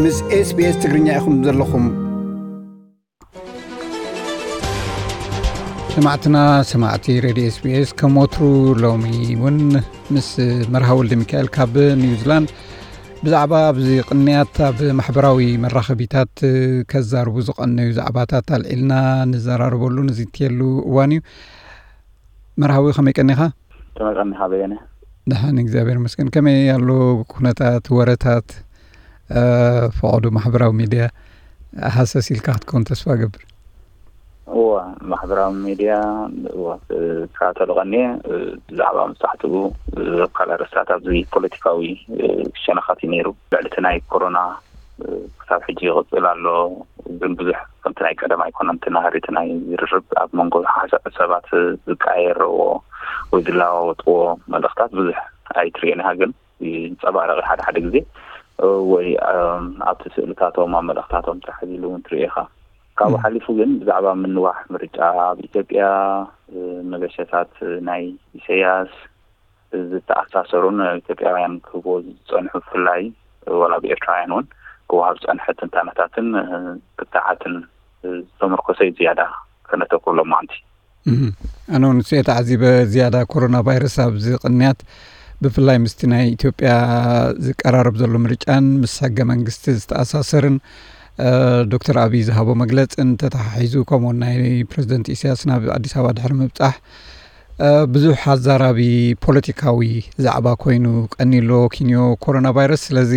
ምስ SBS ትግርኛ ኢኹም ዘለኹም። ሰማዕትና፣ ሰማዕቲ ሬድዮ SBS፣ ከም ወትሩ ሎሚ እውን ምስ መርሃ ወልደ ሚካኤል ካብ ኒውዚላንድ ብዛዕባ ኣብዚ ቅንያት ኣብ ማሕበራዊ መራኸቢታት ከዛርቡ ዝቐነዩ ዛዕባታት ኣልዒልና ንዘራረበሉ ንዝትየሉ እዋን እዩ። መርሃዊ፣ ከመይ ቀኒኻ? ከመይ ቀኒኻ በየነ? ደሓን፣ እግዚኣብሔር ይመስገን። ከመይ ኣሎ ኩነታት፣ ወረታት፣ እ፣ ፈቐዶ ማሕበራዊ ሚድያ ሃሰስ ኢልካ ክትከውን ተስፋ እገብር። እወ፣ ማሕበራዊ ሚድያ፣ እወ፣ እከታተሎ ቀንየ፣ እ፣ ብዛዕባ መብዛሕትኡ፣ እ፣ ዘካል ኣርእስታት ኣብዚ ፖለቲካዊ፣ እ፣ ሸነኻት እዩ ነይሩ። ልዕሊ እቲ ናይ ኮሮና፣ እ፣ ክሳብ ሕጂ ይቕጽል ኣሎ። ግን ብዙሕ ከምቲ ናይ ቀደም ኣይኮነን። እቲ ናህሪ እቲ ናይ ዝርርብ ኣብ መንጎ ሓሳ-፣ ሰባት ዝቀያየርዎ ወይ ዝለዋወጥዎ መልእኽታት ብዙሕ ኣይትርእዮን ኢኻ። ግን ይንጸባረቕ ሓደ ሓደ ግዜ፣ እ፣ ወይ፣ እም፣ ኣብቲ ስእልታቶም፣ ኣብ መልእኽታቶም ጥራሕ ኢሉ እውን ትርእዮ ኢኻ። ካብኡ እም። ሓሊፉ ግን ብዛዕባ ምንዋሕ ምርጫ ኣብ ኢትዮጵያ፣ እ፣ መገሸታት ናይ ኢሳያስ ዝተኣሳሰሩን ኢትዮጵያውያን ክህቦ ዝጸንሑ፣ ብፍላይ ዋላ ብኤርትራውያን እውን ክወሃብ ዝጸንሐ ትንታነታትን፣ እ፣ ክትዓትን፣ እ፣ ዝተመርኮሰ እዩ ዝያዳ ከነተኩር ሎማዓንቲ። እህ፣ ኣነ እውን ንሱ እየ ተዓዚበ። ዝያዳ ኮሮና ቫይረስ ኣብዚ ቅንያት፣ ብፍላይ ምስቲ ናይ ኢትዮጵያ ዝቀራረብ ዘሎ ምርጫን ምስ ሕገ መንግስቲ ዝተኣሳሰርን፣ እ፣ ዶክተር ኣብይ ዝሃቦ መግለጽን ተተሓሒዙ፣ ከምኡውን ናይ ፕረዚደንት ኢሳያስ ናብ ኣዲስ ኣበባ ድሕሪ ምብጻሕ፣ እ፣ ብዙሕ ኣዛራቢ ፖለቲካዊ ዛዕባ ኮይኑ ቀንዩ ኣሎ ኪንዮ ኮሮና ቫይረስ። ስለዚ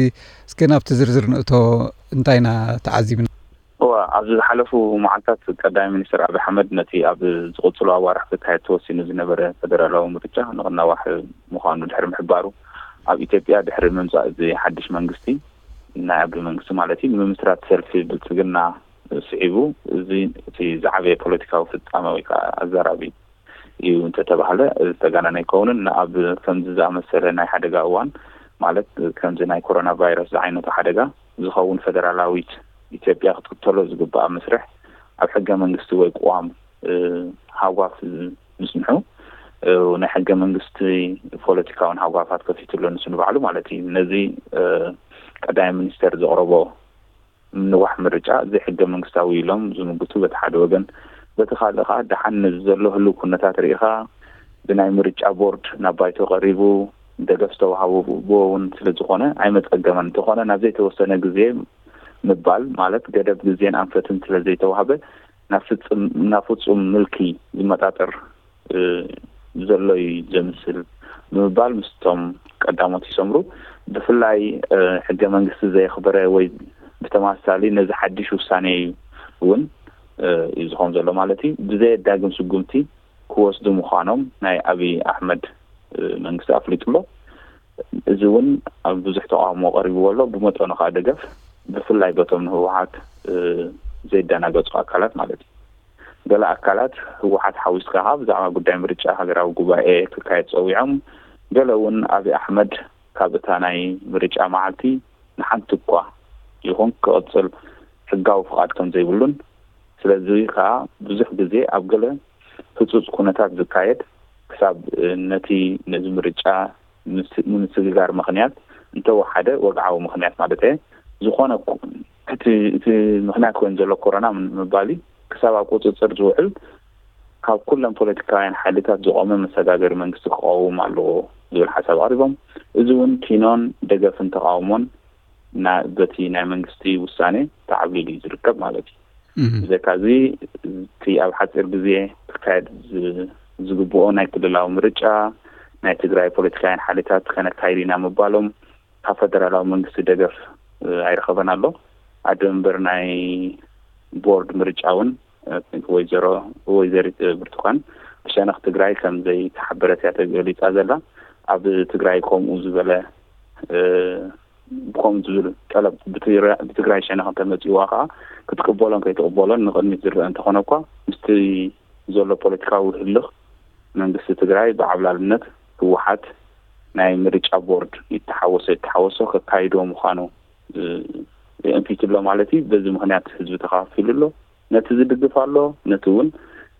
እስከ ናብቲ ዝርዝር ንእቶ፣ እንታይ ኢና ተዓዚብና? እወ፣ ኣብዚ ዝሓለፉ መዓልታት ቀዳማይ ሚኒስትር ኣብይ ኣሕመድ ነቲ ኣብ ዝቕጽሉ ኣዋርሕ ክካየድ ተወሲኑ ዝነበረ ፈደራላዊ ምርጫ ንኽናዋሕ ምዃኑ ድሕሪ ምሕባሩ፣ ኣብ ኢትዮጵያ ድሕሪ ምምጻእ እዚ ሓድሽ መንግስቲ፣ ናይ ኣብይ መንግስቲ ማለት እዩ፣ ንምምስራት ሰልፊ ብልጽግና ስዒቡ፣ እዚ እቲ ዝዓበየ ፖለቲካዊ ፍጻመ ወይ ከዓ ኣዛራቢ እዩ እንተተባህለ ዝተጋነነ ኣይከውንን። ንኣብ ከምዚ ዝኣመሰለ ናይ ሓደጋ እዋን፣ ማለት ከምዚ ናይ ኮሮና ቫይረስ ዝዓይነቱ ሓደጋ ዝኸውን፣ ፈደራላዊት ኢትዮጵያ ክትክተሎ ዝግባኣ መስርሕ ኣብ ሕገ መንግስቲ ወይ ቅዋም፣ እ፣ ሃጓፍ ምጽንሑ፣ እ፣ ናይ ሕገ መንግስቲ ፖለቲካውን ሃጓፋት ከፊቱ ኣሎ ንሱ ንባዕሉ ማለት እዩ። ነዚ፣ እ፣ ቀዳማይ ሚኒስተር ዘቕረቦ ምንዋሕ ምርጫ ዘይሕገ መንግስታዊ ኢሎም ዝምግቱ በቲ ሓደ ወገን፣ በቲ ካልእ ከዓ ደሓን ነዚ ዘሎ ህልው ኩነታት ርኢኻ ብናይ ምርጫ ቦርድ ናብ ባይቶ ቀሪቡ ደገፍ ዝተዋህቦ እውን ስለ ዝኾነ ኣይመጸገመን። እንተኾነ ናብ ዘይተወሰነ ግዜ ምባል ማለት ገደብ ግዜን ኣንፈትን ስለ ዘይተዋህበ ናብ ፍጽም-፣ ናብ ፍጹም ምልኪ ዝመጣጠር እ፣ ዘሎ እዩ ዘምስል ብምባል ምስቶም ቀዳሞት ይሰምሩ። ብፍላይ፣ እ፣ ሕገ መንግስቲ ዘየኽበረ ወይ ብተመሳሳሊ ነዚ ሓድሽ ውሳኔ እዩ እውን፣ እ፣ እዩ ዝኸውን ዘሎ ማለት እዩ። ብዘየዳግም ስጉምቲ ክወስዱ ምዃኖም ናይ ኣብይ ኣሕመድ፣ እ፣ መንግስቲ ኣፍሊጡ ኣሎ። እዚ እውን ኣብ ብዙሕ ተቃውሞ ቀሪብዎ ኣሎ። ብመጠኑ ከዓ ደገፍ፣ ብፍላይ በቶም ንህወሓት፣ እ፣ ዘይደናገጹ ኣካላት ማለት እዩ። ገለ ኣካላት ህወሓት ሓዊስካ ከዓ ብዛዕባ ጉዳይ ምርጫ ሃገራዊ ጉባኤ ክካየድ ጸዊዖም፣ ገለ እውን ኣብይ ኣሕመድ ካብ እታ ናይ ምርጫ መዓልቲ ንሓንቲ እኳ ይኹን ክቕጽል ሕጋዊ ፍቓድ ከም ዘይብሉን፣ ስለዚ ከዓ ብዙሕ ግዜ ኣብ ገለ ህጹጽ ኩነታት ዝካየድ ክሳብ፣ እ፣ ነቲ ነዚ ምርጫ ምስ-፣ ንምስግጋር ምኽንያት እንተወሓደ ወግዓዊ ምኽንያት ማለት እየ። ዝኾነ እኮ እቲ፣ እቲ ምኽንያት ኮይኑ ዘሎ ኮሮና ምን-፣ ምባል እዩ። ክሳብ ኣብ ቁጽጽር ዝውዕል ካብ ኩለን ፖለቲካውያን ሓይልታት ዝቖመ መሰጋገሪ መንግስቲ ክቐውም ኣለዎ ዝብል ሓሳብ ኣቕሪቦም። እዚ እውን ኪኖን ደገፍን ተቓውሞን ና-፣ በቲ ናይ መንግስቲ ውሳኔ ተዓብሊሉ እዩ ዝርከብ ማለት እዩ። እህ። ብዘካዚ እቲ ኣብ ሓፂር ግዜ ክካየድ ዝ-፣ ዝግብኦ ናይ ክልላዊ ምርጫ ናይ ትግራይ ፖለቲካውያን ሓይልታት ከነካይድ ኢና ምባሎም ካብ ፈደራላዊ መንግስቲ ደገፍ፣ እ፣ ኣይረኸበን ኣሎ። ኣደ መንበር ናይ ቦርድ ምርጫ እውን፣ እ፣ ወይዘሮ፣ ወይዘሪት ብርቱካን ብሸነኽ ትግራይ ከም ዘይተሓበረት እያ ተገሊጻ ዘላ። ኣብ ትግራይ ከምኡ ዝበለ፣ እ፣ ከምኡ ዝብል ጠለብ ብትግራ-፣ ብትግራይ ሸነኽ እንተመጺእዋ ከዓ ክትቅበሎን ከይትቅበሎን ንቕድሚት ዝረአ እንተኾነ እኳ ምስቲ ዘሎ ፖለቲካዊ ህልኽ መንግስቲ ትግራይ ብዓብላልነት ህወሓት ናይ ምርጫ ቦርድ ይተሓወሶ ይተሓወሶ ከካይዶ ምዃኑ፣ እ፣ የእንፊት ኣሎ ማለት እዩ። በዚ ምኽንያት ህዝቢ ተኸፋፊሉ ኣሎ። ነቲ ዝድግፍ ኣሎ፣ ነቲ እውን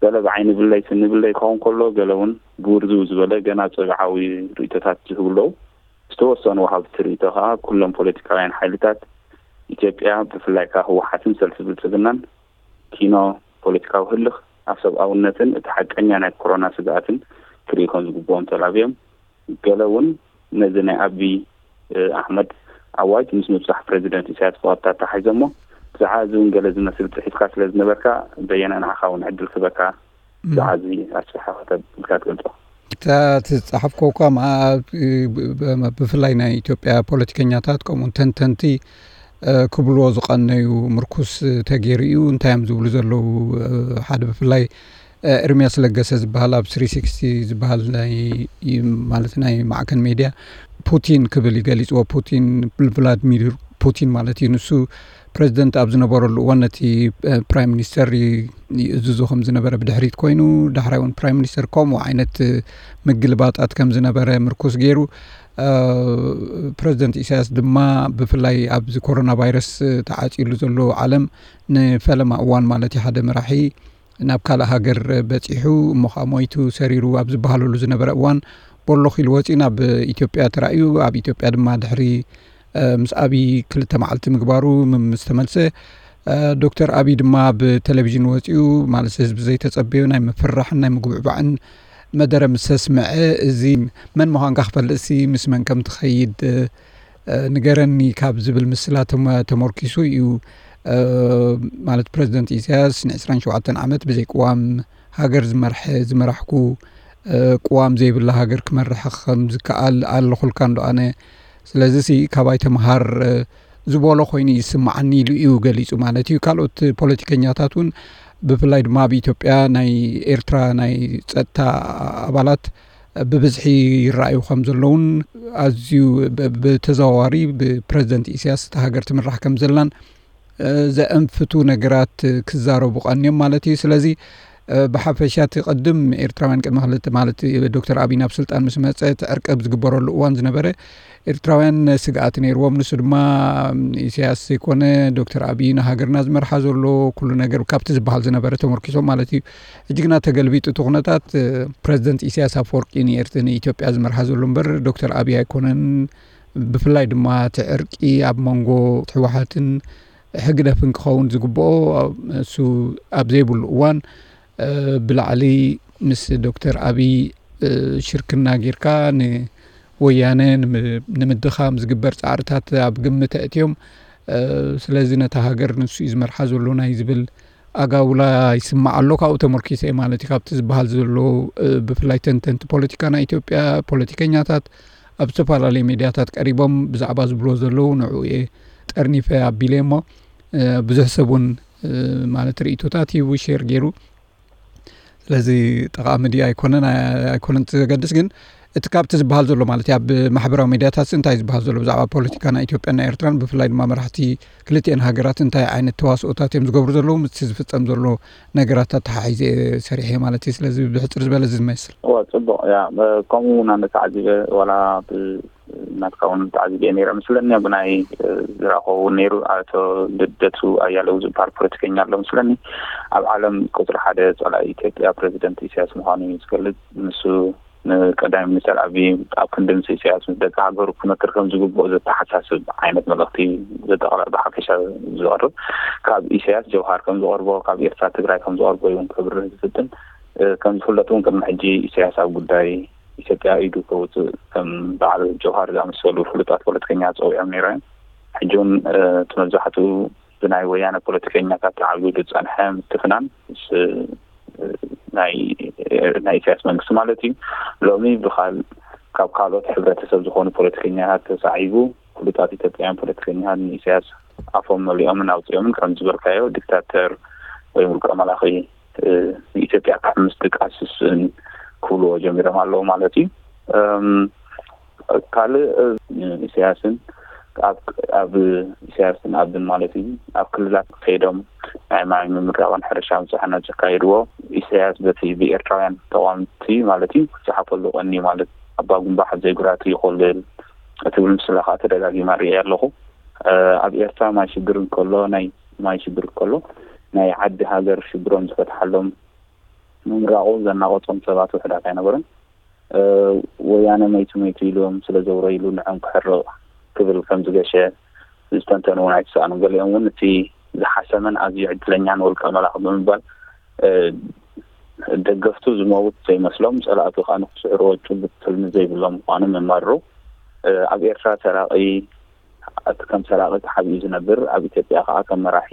ገለ ብዓይኒ ብለይ ስኒ ብለይ ክኸውን ከሎ፣ ገለ እውን ብውርዝው ዝበለ ገና ጽግዓዊ ርእይቶታት ዝህቡ ኣለዉ። ዝተወሰኑ ወሃብቲ ርእይቶ ከኣ ኩሎም ፖለቲካውያን ሓይልታት ኢትዮጵያ ብፍላይ ካብ ህወሓትን ሰልፊ ብልፅግናን ኪኖ ፖለቲካዊ ህልኽ ኣብ ሰብኣውነትን እቲ ሓቀኛ ናይ ኮሮና ስግኣትን ክርእዩ ከም ዝግብኦም ተላብዮም። ገለ እውን ነዚ ናይ ኣቢ ኣሕመድ ኣዋጅ ምስ ምብፃሕ ፕሬዚደንት ኢሳያስ ብቐጥታ ተታሓሒዞሞ። ብዛዕባ እዚ እውን ገለ ዝመስል ፅሒፍካ ስለ ዝነበርካ በየነ ንዓኻ እውን ዕድል ክበካ። ብዛዕባ እዚ ኣስፍሓ ከተብልካ ትገልፆ። እታ ትፃሓፍኮ እኳ ብፍላይ ናይ ኢትዮጵያ ፖለቲከኛታት ከምኡውን ተንተንቲ ክብልዎ ዝቐነዩ ምርኩስ ተገይሩ እዩ። እንታይ እዮም ዝብሉ ዘለዉ? ሓደ ብፍላይ ኤርሚያስ ለገሰ ዝበሃል ኣብ ስሪ ሲክስቲ ዝበሃል ማለት ናይ ማዕከን ሜድያ ፑቲን ክብል ይገሊፅዎ። ፑቲን፣ ቭላድሚር ፑቲን ማለት እዩ። ንሱ ፕሬዚደንት ኣብ ዝነበረሉ እዋን ነቲ ፕራይም ሚኒስተር ይእዝዞ ከም ዝነበረ ብድሕሪት ኮይኑ፣ ዳሕራይ እውን ፕራይም ሚኒስተር ከምኡ ዓይነት ምግልባጣት ከም ዝነበረ ምርኩስ ገይሩ። ፕሬዚደንት ኢሳያስ ድማ ብፍላይ ኣብዚ ኮሮና ቫይረስ ተዓፂሉ ዘሎ ዓለም ንፈለማ እዋን ማለት እዩ ሓደ መራሒ ናብ ካልእ ሃገር በፂሑ እሞ ከዓ ሞይቱ ሰሪሩ ኣብ ዝበሃለሉ ዝነበረ እዋን ቦሎኽ ኢሉ ወፂኡ ናብ ኢትዮጵያ ተራእዩ። ኣብ ኢትዮጵያ ድማ ድሕሪ ምስ ኣብይ ክልተ መዓልቲ ምግባሩ ምስ ተመልሰ ዶክተር ኣብይ ድማ ብቴሌቪዥን ወፂኡ ማለት ህዝቢ ዘይተፀበዮ ናይ ምፍርራሕን ናይ ምጉብዕባዕን መደረ ምስ ኣስምዐ፣ እዚ መን ምዃንካ ክፈልጥሲ ምስ መን ከም ትኸይድ ንገረኒ ካብ ዝብል ምስላ ተመርኪሱ እዩ። ማለት ፕረዚደንት ኢሳያስ ንዕስራን ሸውዓተን ዓመት ብዘይ ቅዋም ሃገር ዝመርሐ ዝመራሕኩ ቅዋም ዘይብላ ሃገር ክመርሕ ከም ዝከኣል ኣለኹልካ እንዶ ኣነ። ስለዚ ሲ ካባይ ተምሃር ዝበሎ ኮይኑ ይስማዓኒ ኢሉ እዩ ገሊጹ ማለት እዩ። ካልኦት ፖለቲከኛታት እውን ብፍላይ ድማ ኣብ ኢትዮጵያ ናይ ኤርትራ ናይ ጸጥታ ኣባላት ብብዝሒ ይረኣዩ ከም ዘለውን ኣዝዩ ብተዘዋዋሪ ብፕረዚደንት ኢሳያስ እታ ሃገር ትምራሕ ከም ዘላን ዘእንፍቱ ነገራት ክዛረቡ ቀንዮም ማለት እዩ። ስለዚ ብሓፈሻ እቲ ቅድም ኤርትራውያን ቅድሚ ክልተ ማለት ዶክተር ኣብይ ናብ ስልጣን ምስ መጸ እቲ ዕርቂ ኣብ ዝግበረሉ እዋን ዝነበረ ኤርትራውያን ስግኣት ነይርዎም። ንሱ ድማ ኢሳያስ ዘይኮነ ዶክተር ኣብይ ንሃገርና ዝመርሓ ዘሎ ኩሉ ነገር ካብቲ ዝበሃል ዝነበረ ተመርኪሶም ማለት እዩ። ሕጂ ግና ተገልቢጡ እቲ ኩነታት ፕረዚደንት ኢሳያስ ኣፈወርቂ ንኤርት ንኢትዮጵያ ዝመርሓ ዘሎ እምበር ዶክተር ኣብይ ኣይኮነን። ብፍላይ ድማ እቲ ዕርቂ ኣብ መንጎ ህወሓትን ሕግደፍን ክኸውን ዝግብኦ እሱ ኣብ ዘይብሉ እዋን ብላዕሊ ምስ ዶክተር ኣብይ ሽርክና ጌርካ ንወያነ ንምድኻም ዝግበር ፃዕርታት ኣብ ግምት ኣእትዮም። ስለዚ ነታ ሃገር ንሱ እዩ ዝመርሓ ዘሎ ናይ ዝብል ኣጋውላ ይስማዕ ኣሎ። ካብኡ ተመርኪሰ ማለት እዩ ካብቲ ዝበሃል ዘሎ ብፍላይ ተንተንቲ ፖለቲካ ናይ ኢትዮጵያ ፖለቲከኛታት ኣብ ዝተፈላለዩ ሜድያታት ቀሪቦም ብዛዕባ ዝብሎ ዘለዉ ንዕኡ እየ ጠርኒፈ ኣቢለ እሞ ብዙሕ ሰብ እውን ማለት ርእቶታት ሂቡ ሼር ገይሩ። ስለዚ ጠቓሚ ድዩ ኣይኮነን ኣይኮነን ዘገድስ ግን እቲ ካብቲ ዝበሃል ዘሎ ማለት ኣብ ማሕበራዊ ሜድያታት እንታይ ዝበሃል ዘሎ ብዛዕባ ፖለቲካ ናይ ኢትዮጵያ ናይ ኤርትራን ብፍላይ ድማ መራሕቲ ክልቲኤን ሃገራት እንታይ ዓይነት ተዋስኦታት እዮም ዝገብሩ ዘለዉ ምስቲ ዝፍጸም ዘሎ ነገራት ኣተሓሒዘ ሰሪሐ ማለት እዩ። ስለዚ ብሕፅር ዝበለ እዚ ዝመስል። እዋ ጽቡቕ ያ ከምኡ እውን ኣነ ተዓዚበ ዋላ ናትካ እውን ተዓዚበ ነይረ ምስለኒ ብናይ ዝረኸቡ ነይሩ ኣቶ ልደቱ ኣያለው ዝበሃል ፖለቲከኛ ኣሎ ምስለኒ ኣብ ዓለም ቁፅሪ ሓደ ፀላኢ ኢትዮጵያ ፕሬዚደንት ኢሳያስ ምዃኑ እዩ ዝገልፅ። ንሱ ንቀዳማይ ሚኒስተር ኣብይ ኣብ ክንዲ ምስ ኢሳያስ ምስ ደቂ ሃገሩ ክመክር ከም ዝግብኦ ዘተሓሳስብ ዓይነት መልእኽቲ ዘጠቕለል ብሓፈሻ ዝቐርብ ካብ ኢሳያስ ጀውሃር ከም ዝቐርቦ ካብ ኤርትራ ትግራይ ከም ዝቐርቦ እውን ክብርህ ዝፍትን። ከም ዝፍለጥ እውን ቅድሚ ሕጂ ኢሳያስ ኣብ ጉዳይ ኢትዮጵያ ኢዱ ከውፅእ ከም በዓል ጀውሃር ዝኣመሰሉ ፍሉጣት ፖለቲከኛ ፀዊዖም ነይሮም። ሕጂ እውን እቲ መብዛሕትኡ ብናይ ወያነ ፖለቲከኛታት ተዓቢዱ ዝፀንሐ ምትፍናን ናይ ኢሳያስ መንግስቲ ማለት እዩ። ሎሚ ብካል ካብ ካልኦት ሕብረተሰብ ዝኾኑ ፖለቲከኛታት ተሳዒቡ ፍሉጣት ኢትዮጵያውያን ፖለቲከኛታት ንኢሳያስ ኣፎም መሊኦምን ኣውፂኦምን ከም ዝበልካዮ ዲክታተር ወይ ውልቀ መላኺ ንኢትዮጵያ ካብ ምስጥቃስ ስስእን ክብልዎ ጀሚሮም ኣለዉ ማለት እዩ። ካልእ ኢሳያስን ኣብ ኢሳያስን ኣብን ማለት እዩ ኣብ ክልላት ከይዶም ናይ ማይ ምምራቕን ሕርሻ ምፅሓና ዘካየድዎ ኢሳያስ በቲ ብኤርትራውያን ተቋምቲ ማለት እዩ ክፀሓፈሉ ቀኒ ማለት ኣባ ጉንባሕ ዘይጉራት ይኮልል እትብል ምስላ ከዓ ተደጋጊማ ርእየ ኣለኹ። ኣብ ኤርትራ ማይ ሽግር እንከሎ ናይ ማይ ሽግር ከሎ ናይ ዓዲ ሃገር ሽግሮም ዝፈትሓሎም ምምራቑ ዘናቐጾም ሰባት ውሕዳት ኣይነበሩን። ወያነ መይቱ መይቱ ኢሎም ስለ ዘውረይሉ ንዖም ክሕርቕ ክብል ከም ዝገሸ ዝተንተኑ እውን ኣይተሰኣኑን። ገሊኦም እውን እቲ ዝሓሰመን ኣዝዩ ዕድለኛን ውልቀ መላኺ ብምባል ደገፍቱ ዝመውት ዘይመስሎም፣ ጸላእቱ ከዓ ንክስዕርዎ ጭቡጥ ትልሚ ዘይብሎም ምዃኖም የማርሩ። ኣብ ኤርትራ ሰራቒ፣ እቲ ከም ሰራቒ ተሓቢኡ ዝነብር፣ ኣብ ኢትዮጵያ ከዓ ከም መራሒ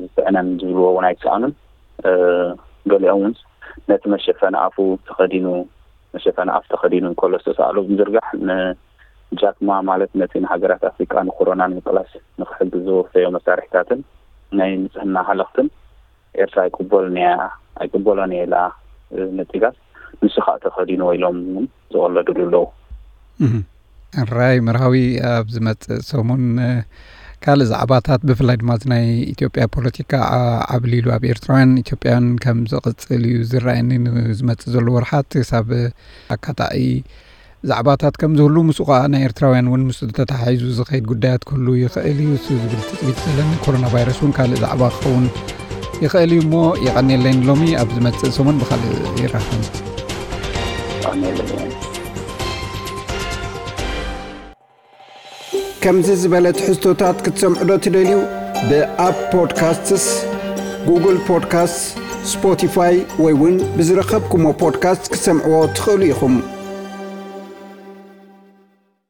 ዝስዕነን ዝብልዎ እውን ኣይሰኣኑን። ገሊኦም እውን ነቲ መሸፈኒ ኣፉ ተኸዲኑ፣ መሸፈኒ ኣፍ ተኸዲኑ እንከሎ ዝተሰኣሎ ብምዝርጋሕ ንጃክማ፣ ማለት ነቲ ንሃገራት ኣፍሪቃ ንኮሮና ንምቅላስ ንክሕግዝ ዘወፈዮ መሳርሒታትን ናይ ንጽህና ሃለኽትን ኤርትራ ኣይቅበሎን እያ፣ ኣይቅበሎን እየ ኢላ ነጺጋስ፣ ንሱ ከዓ ተኸዲንዎ ኢሎም እውን ዝቐለዱሉ ኣለዉ። ሕራይ መርሃዊ፣ ኣብ ዝመጽእ ሰሙን ካልእ ዛዕባታት፣ ብፍላይ ድማ ናይ ኢትዮጵያ ፖለቲካ ዓብሊሉ ኣብ ኤርትራውያን ኢትዮጵያውያን ከም ዝቕጽል እዩ ዝረኣየኒ። ንዝመጽእ ዘሎ ወርሓት ክሳብ ኣካታዒ ዛዕባታት ከም ዝህሉ፣ ምስኡ ከዓ ናይ ኤርትራውያን እውን ምስ ተተሓሒዙ ዝኸይድ ጉዳያት ክህሉ ይኽእል እዩ። እሱ ዝብል ትፅቢት ዘለኒ። ኮሮና ቫይረስ እውን ካልእ ዛዕባ ክኸውን ይኽእል እዩ እሞ፣ የቐንየለይ። ንሎሚ፣ ኣብ ዝመፅእ ሰሙን ብኻልእ ይራኸብ። ከምዚ ዝበለ ትሕዝቶታት ክትሰምዑ ዶ ትደልዩ? ብኣፕ ፖድካስትስ፣ ጉግል ፖድካስት፣ ስፖቲፋይ ወይ እውን ብዝረኸብኩሞ ፖድካስት ክትሰምዕዎ ትኽእሉ ኢኹም።